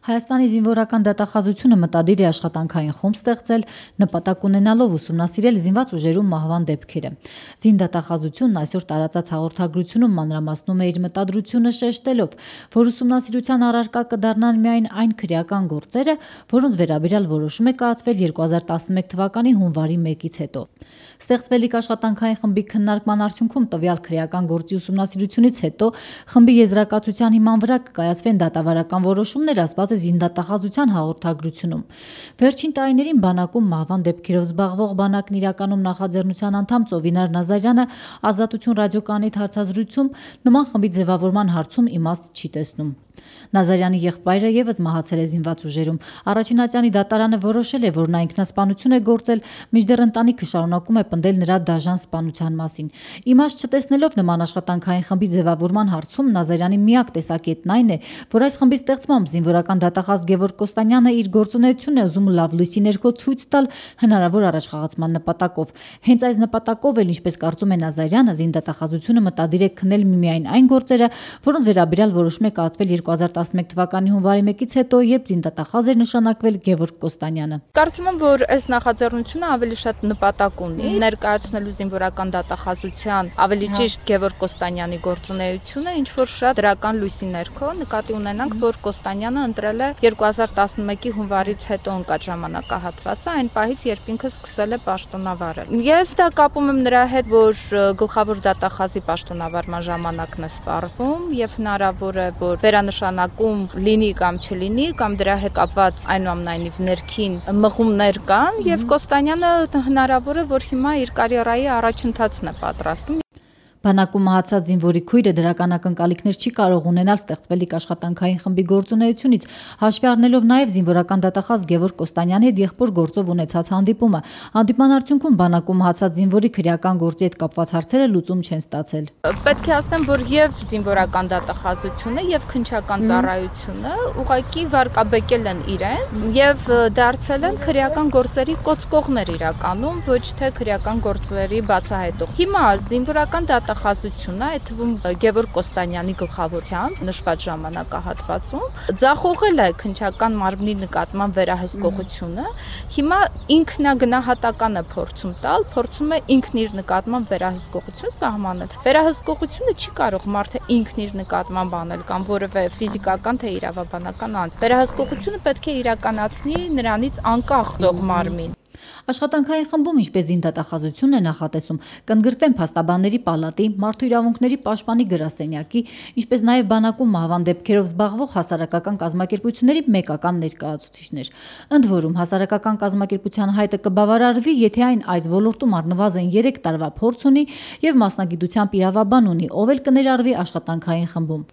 Հայաստանի զինվորական դատախազությունը մտադիր է աշխատանքային խումբ ստեղծել, նպատակ ունենալով ուսումնասիրել զինված ուժերում մահվան դեպքերը։ Զինդատախազությունն այսօր տարածած հաղորդագրությունում մանրամասնում է իր մտադրությունը շեշտելով, որ ուսումնասիրության առարկա կդառնան միայն այն քրեական գործերը, որոնց վերաբերյալ որոշում է կայացվել 2011 թվականի հունվարի 1-ից հետո։ Ստեղծվելիք աշխատանքային խմբի քննարկման արդյունքում տվյալ քրեական գործի ուսումնասիրությունից հետո խմբի եզրակացության հիման վրա կկայացվեն դատավարական որոշումներ, ասված է զինդատախազության հաղորդագրությունում։ Վերջին տարիներին բանակում մահվան դեպքերով զբաղվող բանակն իրականում նախաձեռնության անդամ Ծովինար Նազարյանը Ազատություն ռադիոկայանիդ հարցազրույցում նման խմբի ձևավորման հարցում իմաստ չի տեսնում։ Նազարյանի եղբայրը եւս մահացել է զինված ուժերում։ Առաջին ատյանի դատարանը որոշել է, որ նա ինքնասպանություն է գործել, մինչդեռ ընտանիքը շարունակում է պնդել նրա դաժան սպանության մասին։ Իմաստ չտեսնելով նման աշխատանքային խմբի ձևավորման հարցում Նազարյանի միակ տեսակետն այն է, որ այս խմբի ստեղծմամբ զինվորական դատախազ Գևորգ Կոստանյանը իր գործունեությունն է ուզում լավ լույսի ներքո ցույց տալ հնարավոր առաջխաղացման նպատակով։ Հենց այս նպատակով էլ, ինչպես կարծում է Նազարյանը, զինդատախազությունը մտադիր է քննել միմիայն այն գործերը, որոնց վերաբերյալ որոշում է կայացվել 2011 թվականի հունվարի 1-ից հետո, երբ զինդատախազ էր նշանակվել Գևորգ Կոստանյանը։ Կարծում եմ, որ այս նախաձեռնությունը ավելի շատ նպատակ ունի ներկայացնելու զինվորական դատախազության, ավելի ճիշտ Գևորգ Կոստանյանի գործունեությունը, ինչ որ շատ դրական լույսի ներքո նկատի ունենանք, որ Կոստանյանը ընտրել է 2011-ի հունվարից հետո ընկած ժամանակահատվածը, այն պահից, երբ ինքը սկսել է պաշտոնավարել։ Ես դա կապում եմ նրա հետ, որ գլխավոր դատախազի պաշտոնավարման ժամանակն է սպառվում եւ հնարավոր է, որ վերանշանակում լինի կամ չլինի, կամ դրա հետ կապված այնուամենայնիվ ներքին մղումներ կան եւ Կոստանյանը հնարավոր է, որ հիմա իր կարիերայի առաջընթացն է պատրաստում։ Բանակում մահացած զինվորի քույրը դրական ակնկալիքներ չի կարող ունենալ ստեղծվելիք աշխատանքային խմբի գործունեությունից, հաշվի առնելով նաև զինվորական դատախազ Գևորգ Կոստանյանի հետ եղբոր գործով ունեցած հանդիպումը։ Հանդիպման արդյունքում բանակում մահացած զինվորի քրեական գործի հետ կապված հարցերը լուծում չեն ստացել։ Պետք է ասեմ, որ եւ զինվորական դատախազությունը եւ քննչական ծառայությունը ուղղակի վարկաբեկել են իրենց եւ դարձել են քրեական գործերի կոծկողներ իրականում, ոչ թե քրեական գործերի բացահայտող։ Հիմա զինվորական դատախազությունը, այդ թվում Գևորգ Կոստանյանի գլխավորությամբ նշված ժամանակահատվածում ձախողել է քննչական մարմնի նկատմամբ վերահսկողությունը։ Հիմա ինքնագնահատական է փորձում տալ, փորձում է ինքն իր նկատմամբ վերահսկողություն սահմանել։ Վերահսկողությունը չի կարող մարդը ինքն իր նկատմամբ անել կամ որևէ ֆիզիկական թե իրավաբանական անձ։ Վերահսկողությունը պետք է իրականացնի նրանից անկախ ծող մարմին։ Աշխատանքային խմբում, ինչպես զինդատախազությունն է նախատեսում, կընդգրկվեն փաստաբանների պալատի, մարդու իրավունքների պաշտպանի գրասենյակի, ինչպես նաև բանակում մահվան դեպքերով զբաղվող հասարակական կազմակերպությունների մեկական ներկայացուցիչներ։ Ընդ որում, հասարակական կազմակերպության հայտը կբավարարվի, եթե այն այս ոլորտում առնվազն 3 տարվա փորձ ունի եւ մասնագիտությամբ իրավաբան ունի, ով էլ կներառվի աշխատանքային խմբում։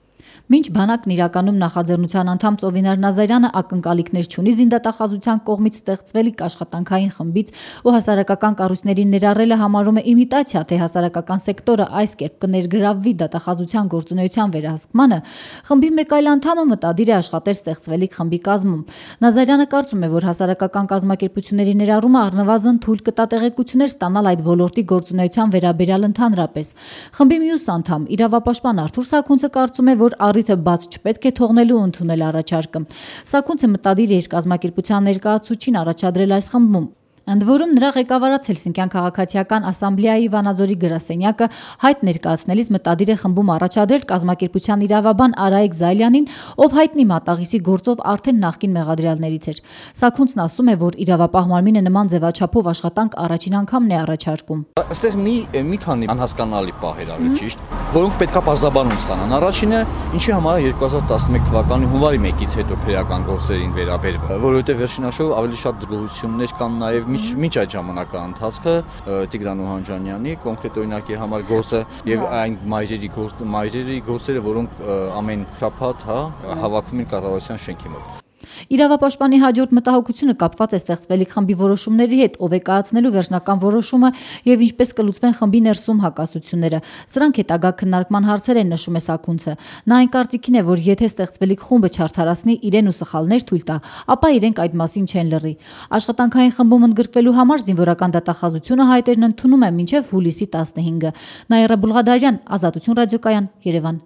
Մինչ բանակն իրականում նախաձեռնության անդամ Ծովինար Նազարյանը ակնկալիքներ չունի զինդատախազության կողմից ստեղծվելիք աշխատանքային խմբից ու հասարակական կառույցների ներառելը համարում է իմիտացիա, թե հասարակական սեկտորը այս կերպ կներգրավվի դատախազության գործունեության վերահսկմանը, խմբի մեկ այլ անդամը մտադիր է աշխատել ստեղծվելիք խմբի կազմում։ Նազարյանը կարծում է, որ հասարակական կազմակերպությունների ներառումը առնվազն թույլ կտա տեղեկություններ ստանալ այդ ոլորտի գործունեության վերաբերյալ ընդհանրապես։ Խմբի մյուս անդամ, իրավապաշտպան Արթուր Սաքունցը կարծում է, որ առիթը բաց չպետք է թողնելու ընդունել առաջարկը։ Սաքունցը մտադիր է իր կազմակերպության ներկայացուցչին առաջադրել այս խմբում։ Ընդ որում նրա ղեկավարած Հելսինկյան քաղաքացիական ասամբլեայի Վանաձորի գրասենյակը հայտ ներկայացնելիս մտադիր է խմբում առաջադրել կազմակերպության իրավաբան Արայիկ Զայլյանին, ով հայտնի մատաղիսի գործով արդեն նախկին մեղադրյալներից էր։ Սաքունցն ասում է, որ իրավապահ մարմինը նման ձևաչափով աշխատանք առաջին անգամն է առաջարկում։ Այստեղ մի քանի անհասկանալի պահեր ալի ճիշտ, որոնք պետքա բարձաբանում ստանան։ Առաջինը, ինչի համար է 2011 թվականի հունվարի 1-ից հետո քրեական գործերին վերաբերվում, որովհետև վերջին հաշվով ավելի շատ դժգոհություններ կան նաև մինչ այդ ժամանակահատվածը Տիգրան Օհանջանյանի կոնկրետ օրինակի համար գործը եւ այն մայրերի գործերը, որոնք ամեն շաբաթ հավաքվում են կառավարության շենքի մոտ։ Իրավապաշտպանի հաջորդ մտահոգությունը կապված է ստեղծվելիք խմբի որոշումների հետ, ով է կայացնելու վերջնական որոշումը եւ ինչպես կլուծվեն խմբի ներսում հակասությունները։ Սրանք հետագա քննարկման հարցեր են, նշում է Սաքունցը։ Նա այն կարծիքին է, որ եթե ստեղծվելիք խումբը չարդարացնի իրեն ու սխալներ թույլ տա, ապա իրենք այդ մասին չեն լռի։ Աշխատանքային խմբում ընդգրկվելու համար զինվորական դատախազությունը հայտերն ընդունում է մինչև հուլիսի 15-ը։ Նաիրա Բուլղադարյան, Ազատություն ռադիոկայան, Երևան։